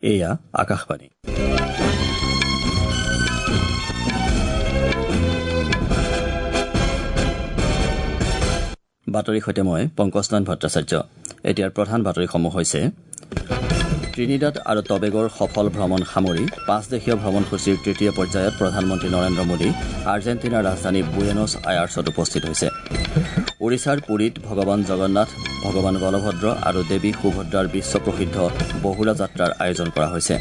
এয়া আকাশবাণী। বাতৰিৰ সৈতে মই পংকজনাথ ভট্টাচাৰ্য। এতিয়াৰ প্ৰধান বাতৰিসমূহ হৈছে: ত্ৰিনিদাদ আৰু টবেগোৰ সফল ভ্ৰমণ সামৰি পাঁচদেশীয় ভ্ৰমণসূচীৰ তৃতীয় পৰ্যায়ত প্ৰধানমন্ত্ৰী নৰেন্দ্ৰ মোদী আৰ্জেণ্টিনাৰ ৰাজধানী বুয়েনছ আয়াৰ্ছত উপস্থিত হৈছে। ওড়িশাৰ পুৰীত ভগৱান জগন্নাথ, ভগৱান বলভদ্ৰ আৰু দেৱী সুভদ্ৰাৰ বিশ্বপ্ৰসিদ্ধ বহুৰা যাত্ৰাৰ আয়োজন কৰা হৈছে।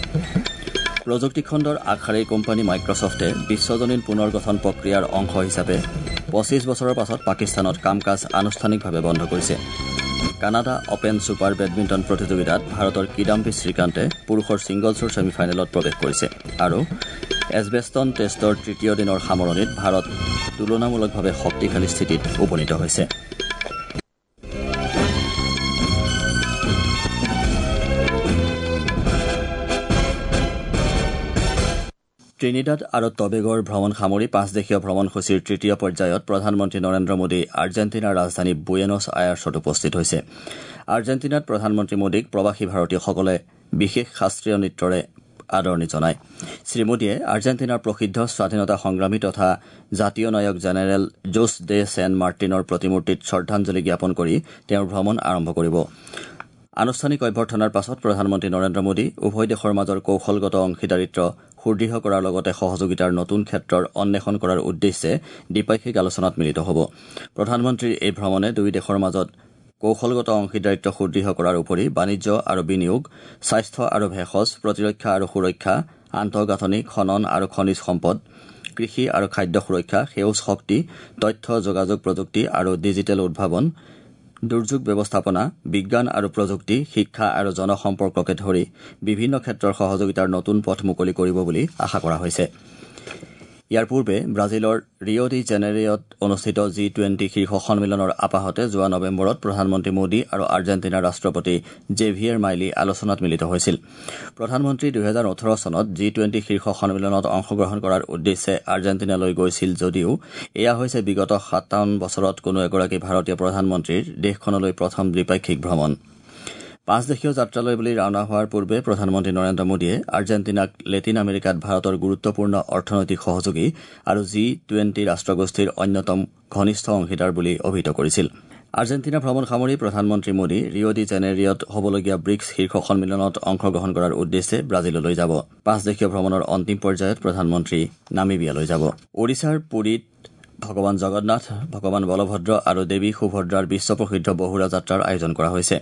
প্ৰযুক্তি খণ্ডৰ আগশাৰীৰ কোম্পানী মাইক্ৰছফ্টে বিশ্বজনীন পুনৰ গঠন প্ৰক্ৰিয়াৰ অংশ হিচাপে 25 বছৰৰ পাছত পাকিস্তানত কাম কাজ আনুষ্ঠানিকভাৱে বন্ধ কৰিছে। কানাডা অপেন ছুপাৰ বেডমিণ্টন প্ৰতিযোগিতাত ভাৰতৰ কিদাম্বি শ্ৰীকান্তে পুৰুষৰ ছিংগলছৰ ছেমি ফাইনেলত প্ৰৱেশ কৰিছে আৰু এজবেষ্টন টেষ্টৰ তৃতীয় দিনৰ সামৰণিত ভাৰত তুলনামূলকভাৱে শক্তিশালী স্থিতিত উপনীত হৈছে। ত্ৰিনিদাদ আৰু টবেগোৰ ভ্ৰমণ সামৰি পাঁচদেশীয় ভ্ৰমণসূচীৰ তৃতীয় পৰ্যায়ত প্ৰধানমন্ত্ৰী নৰেন্দ্ৰ মোদী আৰ্জেণ্টিনাৰ ৰাজধানী বুয়েনছ আয়াৰ্ছত উপস্থিত হৈছে। আৰ্জেণ্টিনাত প্ৰধানমন্ত্ৰী মোদীক প্ৰৱাসী ভাৰতীয়সকলে বিশেষ শাস্ত্ৰীয় নৃত্যৰে আদৰণি জনায়। শ্ৰীমোদীয়ে আৰ্জেণ্টিনাৰ প্ৰসিদ্ধ স্বাধীনতা সংগ্ৰামী তথা জাতীয় নায়ক জেনেৰেল জোছ ডে ছেন মাৰ্টিনৰ প্ৰতিমূৰ্তিত শ্ৰদ্ধাঞ্জলি জ্ঞাপন কৰি তেওঁৰ ভ্ৰমণ আৰম্ভ কৰিব। আনুষ্ঠানিক অভ্যৰ্থনাৰ পাছত প্ৰধানমন্ত্ৰী নৰেন্দ্ৰ মোদী উভয় দেশৰ মাজৰ কৌশলগত অংশীদাৰিত্ব সুদৃঢ় কৰাৰ লগতে সহযোগিতাৰ নতুন ক্ষেত্ৰৰ অন্বেষণ কৰাৰ উদ্দেশ্যে দ্বিপাক্ষিক আলোচনাত মিলিত হ'ব। প্ৰধানমন্ত্ৰীৰ এই ভ্ৰমণে দুয়ো দেশৰ মাজত কৌশলগত অংশীদাৰিত্ব সুদৃঢ় কৰাৰ উপৰি বাণিজ্য আৰু বিনিয়োগ, স্বাস্থ্য আৰু ভেষজ, প্ৰতিৰক্ষা আৰু সুৰক্ষা, আন্তঃগাঁথনি, খনন আৰু খনিজ সম্পদ, কৃষি আৰু খাদ্য সুৰক্ষা, সেউজ শক্তি, তথ্য যোগাযোগ প্ৰযুক্তি আৰু ডিজিটেল উদ্ভাৱন, দুৰ্যোগ ব্যৱস্থাপনা, বিজ্ঞান আৰু প্ৰযুক্তি, শিক্ষা আৰু জনসম্পৰ্ককে ধৰি বিভিন্ন ক্ষেত্ৰৰ সহযোগিতাৰ নতুন পথ মুকলি কৰিব বুলি আশা কৰা হৈছে। ইয়াৰ পূৰ্বে ব্ৰাজিলৰ ৰিঅ' ডি জেনেৰিঅ'ত অনুষ্ঠিত জি-টুৱেণ্টি শীৰ্ষ সন্মিলনৰ আপাহতে যোৱা নৱেম্বৰত প্ৰধানমন্ত্ৰী মোদী আৰু আৰ্জেণ্টিনাৰ ৰাষ্ট্ৰপতি জেভিয়েৰ মাইলি আলোচনাত মিলিত হৈছিল। প্ৰধানমন্ত্ৰী 2018 চনত জি-টুৱেণ্টি শীৰ্ষ সন্মিলনত অংশগ্ৰহণ কৰাৰ উদ্দেশ্যে আৰ্জেণ্টিনালৈ গৈছিল যদিও এয়া হৈছে বিগত 57 বছৰত কোনো এগৰাকী ভাৰতীয় প্ৰধানমন্ত্ৰীৰ দেশখনলৈ প্ৰথম দ্বিপাক্ষিক ভ্ৰমণ। পাঁচদেশীয় যাত্ৰালৈ বুলি ৰাওনা হোৱাৰ পূৰ্বে প্ৰধানমন্ত্ৰী নৰেন্দ্ৰ মোদীয়ে আৰ্জেণ্টিনাক লেটিন আমেৰিকাত ভাৰতৰ গুৰুত্বপূৰ্ণ অৰ্থনৈতিক সহযোগী আৰু জি-টুৱেণ্টি ৰাষ্ট্ৰগোষ্ঠীৰ অন্যতম ঘনিষ্ঠ অংশীদাৰ বুলি অভিহিত কৰিছিল। আৰ্জেণ্টিনা ভ্ৰমণ সামৰি প্ৰধানমন্ত্ৰী মোদী ৰিঅ' ডি জেনেৰিঅ'ত হ'বলগীয়া ব্ৰিকছ শীৰ্ষ সন্মিলনত অংশগ্ৰহণ কৰাৰ উদ্দেশ্যে ব্ৰাজিললৈ যাব। পাঁচদেশীয় ভ্ৰমণৰ অন্তিম পৰ্যায়ত প্ৰধানমন্ত্ৰী নামিবিয়ালৈ যাব। ওড়িশাৰ পুৰীত ভগৱান জগন্নাথ, ভগৱান বলভদ্ৰ আৰু দেৱী সুভদ্ৰাৰ বিশ্বপ্ৰসিদ্ধ বহুৰা যাত্ৰাৰ আয়োজন কৰা হৈছে।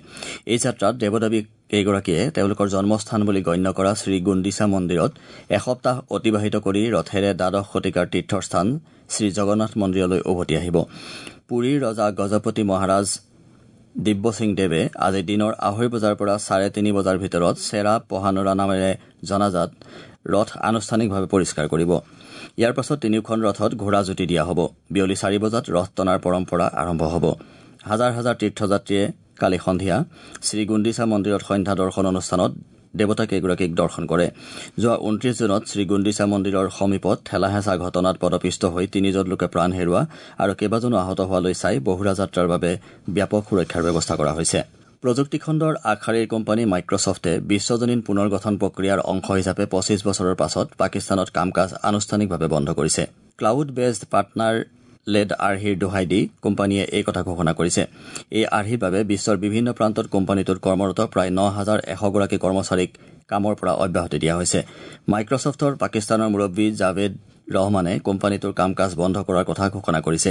এই যাত্ৰাত দেৱদেৱী কেইগৰাকীয়ে তেওঁলোকৰ জন্মস্থান বুলি গণ্য কৰা শ্ৰীগুণ্ডিচা মন্দিৰত এসপ্তাহ অতিবাহিত কৰি ৰথেৰে দ্বাদশ শতিকাৰ তীৰ্থস্থান শ্ৰীজগন্নাথ মন্দিৰলৈ উভতি আহিব। পুৰীৰ ৰজা গজপতি মহাৰাজ দিব্য সিং দেৱে আজি দিনৰ 2:30 বজাৰ পৰা 3:30 বজাৰ ভিতৰত চেৰা পহানৰা নামেৰে জনাজাত ৰথ আনুষ্ঠানিকভাৱে পৰিষ্কাৰ কৰিব। ইয়াৰ পাছত তিনিওখন ৰথত ঘোঁৰা জুতি দিয়া হ'ব। বিয়লি 4 বজাত ৰথ টনাৰ পৰম্পৰা আৰম্ভ হ'ব। হাজাৰ হাজাৰ তীৰ্থযাত্ৰীয়ে কালি সন্ধিয়া শ্ৰীগুণ্ডিচা মন্দিৰত সন্ধ্যা দৰ্শন অনুষ্ঠানত দেৱতাকেইগৰাকীক দৰ্শন কৰে। যোৱা 29 জুনত শ্ৰীগুণ্ডিচা মন্দিৰৰ সমীপত ঠেলা-হেঁচা ঘটনাত পদপিষ্ট হৈ তিনিজন লোকে প্ৰাণ হেৰুওৱা আৰু কেইবাজনো আহত হোৱালৈ চাই বহুৰা যাত্ৰাৰ বাবে ব্যাপক সুৰক্ষাৰ ব্যৱস্থা কৰা হৈছে। প্ৰযুক্তি খণ্ডৰ আগশাৰীৰ কোম্পানী মাইক্ৰছফ্টে বিশ্বজনীন পুনৰ গঠন প্ৰক্ৰিয়াৰ অংশ হিচাপে 25 বছৰৰ পাছত পাকিস্তানত কাম কাজ আনুষ্ঠানিকভাৱে বন্ধ কৰিছে। ক্লাউড বেছড পাৰ্টনাৰ লেড আৰ্হিৰ দোহাই দি কোম্পানীয়ে এই কথা ঘোষণা কৰিছে। এই আৰ্হিৰ বাবে বিশ্বৰ বিভিন্ন প্ৰান্তত কোম্পানীটোত কৰ্মৰত প্ৰায় 9100 গৰাকী কৰ্মচাৰীক কামৰ পৰা অব্যাহতি দিয়া হৈছে। মাইক্ৰছফ্টৰ পাকিস্তানৰ মুৰব্বী জাভেদ ৰহমানে কোম্পানীটোৰ কাম কাজ বন্ধ কৰাৰ কথা ঘোষণা কৰিছে।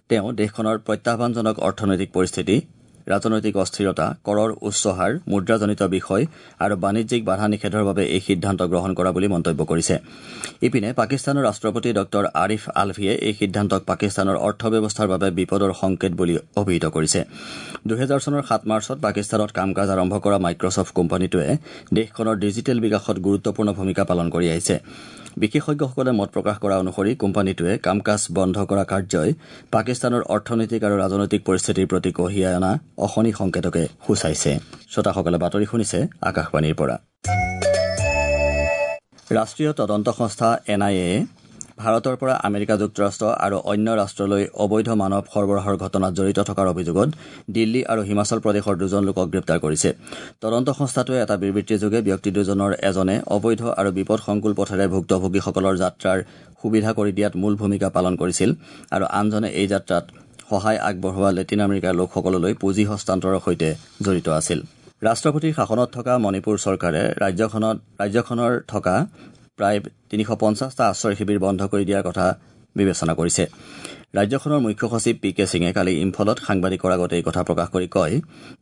তেওঁ দেশখনৰ প্ৰত্যাহ্বানজনক অৰ্থনৈতিক পৰিস্থিতি, ৰাজনৈতিক অস্থিৰতা, কৰৰ উচ্চ হাৰ, মুদ্ৰাজনিত বিষয় আৰু বাণিজ্যিক বাধা নিষেধৰ বাবে এই সিদ্ধান্ত গ্ৰহণ কৰা বুলি মন্তব্য কৰিছে। ইপিনে পাকিস্তানৰ ৰাষ্ট্ৰপতি ডঃ আৰিফ আলভিয়ে এই সিদ্ধান্তক পাকিস্তানৰ অৰ্থব্যৱস্থাৰ বাবে বিপদৰ সংকেত বুলি অভিহিত কৰিছে। 2000 চনৰ 7 মাৰ্চত পাকিস্তানত কাম কাজ আৰম্ভ কৰা মাইক্ৰছফ্ট কোম্পানীটোৱে দেশখনৰ ডিজিটেল বিকাশত গুৰুত্বপূৰ্ণ ভূমিকা পালন কৰি আহিছে। বিশেষজ্ঞসকলে মত প্ৰকাশ কৰা অনুসৰি কোম্পানীটোৱে কাম কাজ বন্ধ কৰা কাৰ্যই পাকিস্তানৰ অৰ্থনৈতিক আৰু ৰাজনৈতিক পৰিস্থিতিৰ প্ৰতি কঢ়িয়াই অনা অশনি সংকেতকে সূচাইছে। শ্ৰোতাসকলে বাতৰি শুনিছে আকাশবাণীৰ পৰা। ৰাষ্ট্ৰীয় তদন্ত সংস্থা এন আই এয়ে ভাৰতৰ পৰা আমেৰিকা যুক্তৰাষ্ট্ৰ আৰু অন্য ৰাষ্ট্ৰলৈ অবৈধ মানৱ সৰবৰাহৰ ঘটনাত জড়িত থকাৰ অভিযোগত দিল্লী আৰু হিমাচল প্ৰদেশৰ 2জন লোকক গ্ৰেপ্তাৰ কৰিছে। তদন্ত সংস্থাটোৱে এটা বিবৃতিযোগে ব্যক্তি দুজনৰ এজনে অবৈধ আৰু বিপদসংকুল পথেৰে ভুক্তভোগীসকলৰ যাত্ৰাৰ সুবিধা কৰি দিয়াত মূল ভূমিকা পালন কৰিছিল আৰু আনজনে এই যাত্ৰাত সহায় আগবঢ়োৱা লেটিন আমেৰিকাৰ লোকসকললৈ পুঁজি হস্তান্তৰৰ সৈতে জড়িত আছিল। ৰাষ্ট্ৰপতিৰ শাসনত থকা মণিপুৰ চৰকাৰে ৰাজ্যখনৰ থকা প্ৰায় 350টা আশ্ৰয় শিবিৰ বন্ধ কৰি দিয়াৰ কথা বিবেচনা কৰিছে। ৰাজ্যখনৰ মুখ্য সচিব পি কে সিঙে কালি ইম্ফলত সাংবাদিকৰ আগত এই কথা প্ৰকাশ কৰি কয়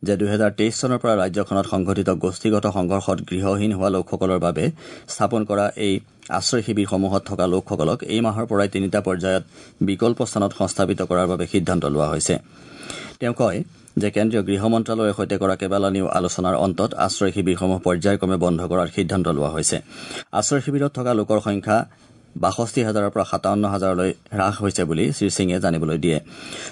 যে 2023 চনৰ পৰা ৰাজ্যখনত সংঘটিত গোষ্ঠীগত সংঘৰ্ষত গৃহহীন হোৱা লোকসকলৰ বাবে স্থাপন কৰা এই আশ্ৰয় শিবিৰসমূহত থকা লোকসকলক এই মাহৰ পৰাই 3টা পৰ্যায়ত বিকল্প স্থানত সংস্থাপিত কৰাৰ বাবে সিদ্ধান্ত লোৱা হৈছে। তেওঁ কয় যে কেন্দ্ৰীয় গৃহ মন্ত্ৰালয়ৰ সৈতে কৰা কেইবালানিও আলোচনাৰ অন্তত আশ্ৰয় শিবিৰসমূহ পৰ্যায়ক্ৰমে বন্ধ কৰাৰ সিদ্ধান্ত লোৱা হৈছে। আশ্ৰয় শিবিৰত থকা লোকৰ সংখ্যা 62,000ৰ পৰা 57,000লৈ হ্ৰাস হৈছে বুলি শ্ৰীসিঙে জানিবলৈ দিয়ে।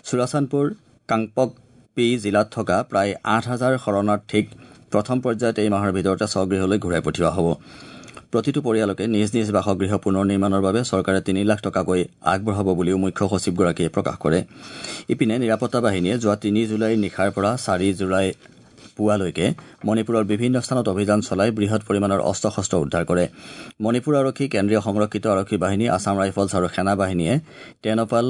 চুৰাচান্দপুৰ কাংপকপি জিলাত থকা প্ৰায় 8,000 শৰণাৰ্থীক প্ৰথম পৰ্যায়ত এই মাহৰ ভিতৰতে স্বগৃহলৈ ঘূৰাই পঠিওৱা হ'ব। প্ৰতিটো পৰিয়ালকে নিজ নিজ বাসগৃহ পুনৰ নিৰ্মাণৰ বাবে চৰকাৰে 3 লাখ টকাকৈ আগবঢ়াব বুলিও মুখ্য সচিবগৰাকীয়ে প্ৰকাশ কৰে। ইপিনে নিৰাপত্তা বাহিনীয়ে যোৱা 3 জুলাইৰ নিশাৰ পৰা 4 জুলাই পুৱালৈকে মণিপুৰৰ বিভিন্ন স্থানত অভিযান চলাই বৃহৎ পৰিমাণৰ অস্ত্ৰ শস্ত্ৰ উদ্ধাৰ কৰে। মণিপুৰ আৰক্ষী, কেন্দ্ৰীয় সংৰক্ষিত আৰক্ষী বাহিনী, আছাম ৰাইফলছ আৰু সেনা বাহিনীয়ে টেনপাল,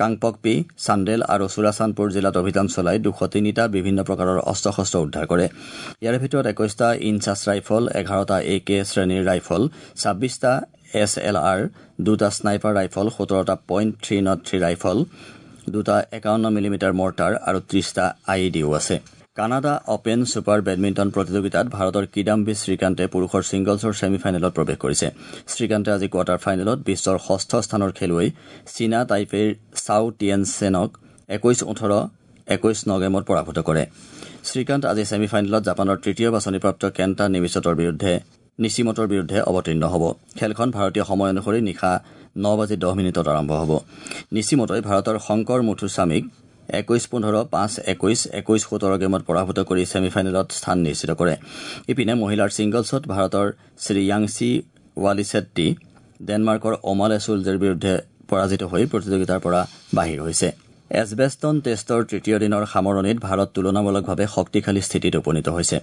কাংপকপি, চান্দেল আৰু চুৰাচান্দপুৰ জিলাত অভিযান চলাই 203টা বিভিন্ন প্ৰকাৰৰ অস্ত্ৰ শস্ত্ৰ উদ্ধাৰ কৰে। ইয়াৰে ভিতৰত 21টা ইনচাছ ৰাইফল, 11টা এ কে শ্ৰেণীৰ ৰাইফল, 26টা এছ এল আৰ, 2টা স্নাইপাৰ ৰাইফল, 17টা .303 ৰাইফল, 2টা 51 মিলিমিটাৰ মৰ্টাৰ আৰু 30টা I E ডিও আছে। কানাডা অপেন ছুপাৰ বেডমিণ্টন প্ৰতিযোগিতাত ভাৰতৰ কিদাম্বি শ্ৰীকান্তে পুৰুষৰ ছিংগলছৰ ছেমি ফাইনেলত প্ৰৱেশ কৰিছে। শ্ৰীকান্তে আজি কোৱাৰ্টাৰ ফাইনেলত বিশ্বৰ 6ষ্ঠ স্থানৰ খেলুৱৈ চীনা টাইপেইৰ চাও টিয়েনচেনক 21-18, 21-9 গেমত পৰাভূত কৰে। শ্ৰীকান্ত আজি ছেমি ফাইনেলত জাপানৰ তৃতীয় বাছনিপ্ৰাপ্ত কেণ্টা নিচিমটৰ বিৰুদ্ধে অৱতীৰ্ণ হ'ব। খেলখন ভাৰতীয় সময় অনুসৰি নিশা 9:10 আৰম্ভ হ'ব। নিচিমটই ভাৰতৰ শংকৰ মুথুস্বামীক 21-15, 5-21, 21-17 গেমত পৰাভূত কৰি ছেমি ফাইনেলত স্থান নিশ্চিত কৰে। ইপিনে মহিলাৰ ছিংগলছত ভাৰতৰ শ্ৰীয়াংশী ৱালিছেট্টি ডেনমাৰ্কৰ অমালে চুলজেৰ বিৰুদ্ধে পৰাজিত হৈ প্ৰতিযোগিতাৰ পৰা বাহিৰ হৈছে। এছবেষ্টন টেষ্টৰ তৃতীয় দিনৰ সামৰণিত ভাৰত তুলনামূলকভাৱে শক্তিশালী স্থিতিত উপনীত হৈছে।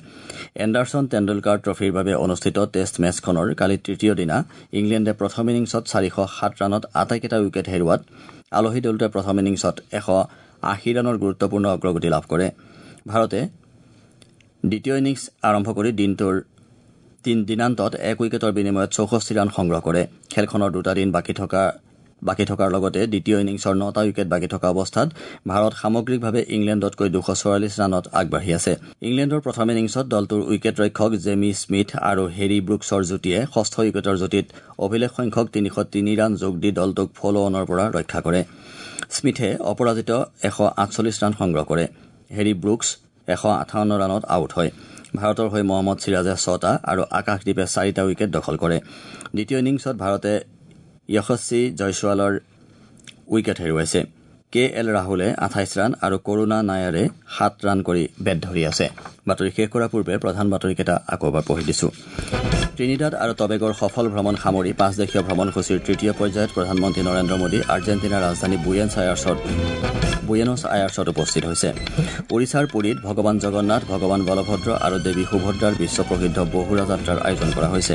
এণ্ডাৰছন টেণ্ডুলকাৰ ট্ৰফীৰ বাবে অনুষ্ঠিত টেষ্ট মেচখনৰ কালি তৃতীয় দিনা ইংলেণ্ডে প্ৰথম ইনিংছত 407 ৰানত আটাইকেইটা উইকেট হেৰুওৱাত আলহী দলটোৱে প্ৰথম ইনিংছত 180 ৰানৰ গুৰুত্বপূৰ্ণ অগ্ৰগতি লাভ কৰে। ভাৰতে দ্বিতীয় ইনিংছ আৰম্ভ কৰি দিনটোৰ দিনান্তত 1 উইকেটৰ বিনিময়ত 64 ৰান সংগ্ৰহ কৰে। খেলখনৰ 2টা দিন বাকী থকাৰ লগতে দ্বিতীয় ইনিংছৰ 9টা উইকেট বাকী থকা অৱস্থাত ভাৰত সামগ্ৰিকভাৱে ইংলেণ্ডতকৈ 244 ৰানত আগবাঢ়ি আছে। ইংলেণ্ডৰ প্ৰথম ইনিংছত দলটোৰ উইকেট ৰক্ষক জেমি স্মিথ আৰু হেৰী ব্ৰুকছৰ যুটিয়ে 6ষ্ঠ উইকেটৰ যুটিত অভিলেখ সংখ্যক 303 ৰান যোগ দি দলটোক ফ'ল' অনৰ পৰা ৰক্ষা কৰে। স্মিথে অপৰাজিত 148 ৰান সংগ্ৰহ কৰে। হেৰী ব্ৰুকছ 158 ৰানত আউট হয়। ভাৰতৰ হৈ মহম্মদ চিৰাজে 6টা আৰু আকাশদ্বীপে 4টা উইকেট দখল কৰে। দ্বিতীয় ইনিংছত ভাৰতে যশস্বী জয়ছোৱালৰ উইকেট হেৰুৱাইছে। কে এল ৰাহুলে 28 ৰান আৰু কৰুণা নায়াৰে 7 ৰান কৰি বেট ধৰি আছে। বাতৰি শেষ কৰাৰ পূৰ্বে প্ৰধান বাতৰিকেইটা আকৌ এবাৰ পঢ়ি দিছো। ত্ৰিনিদাদ আৰু টবেগৰ সফল ভ্ৰমণ সামৰি 5 দেশীয় ভ্ৰমণসূচীৰ তৃতীয় পৰ্যায়ত প্ৰধানমন্ত্ৰী নৰেন্দ্ৰ মোদী আৰ্জেণ্টিনাৰ ৰাজধানী বুয়েনছ আয়াৰ্ছত উপস্থিত হৈছে। ওড়িশাৰ পুৰীত ভগৱান জগন্নাথ, ভগৱান বলভদ্ৰ আৰু দেৱী সুভদ্ৰাৰ বিশ্বপ্ৰসিদ্ধ বহুৰা যাত্ৰাৰ আয়োজন কৰা হৈছে।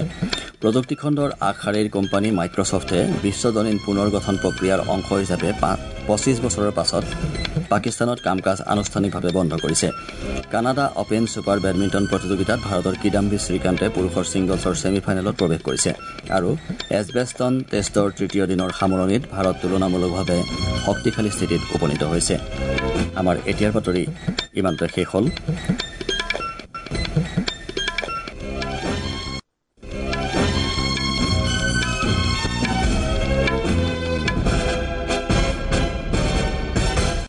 প্ৰযুক্তিখণ্ডৰ আগশাৰীৰ কোম্পানী মাইক্ৰছফ্টে বিশ্বজনীন পুনৰ গঠন প্ৰক্ৰিয়াৰ অংশ হিচাপে 25 বছৰৰ পাছত পাকিস্তানত কাম কাজ আনুষ্ঠানিকভাৱে বন্ধ কৰিছে। কানাডা অপেন ছুপাৰ বেডমিণ্টন প্ৰতিযোগিতাত ভাৰতৰ কিদাম্বি শ্ৰীকান্তে পুৰুষৰ ছিংগলছৰ ছেমি ফাইনেলত প্ৰৱেশ কৰিছে আৰু এছবেষ্টন টেষ্টৰ তৃতীয় দিনৰ সামৰণিত ভাৰত তুলনামূলকভাৱে শক্তিশালী স্থিতিত উপনীত হৈছে। আমাৰ এতিয়াৰ বাতৰি ইমানতে শেষ হ'ল।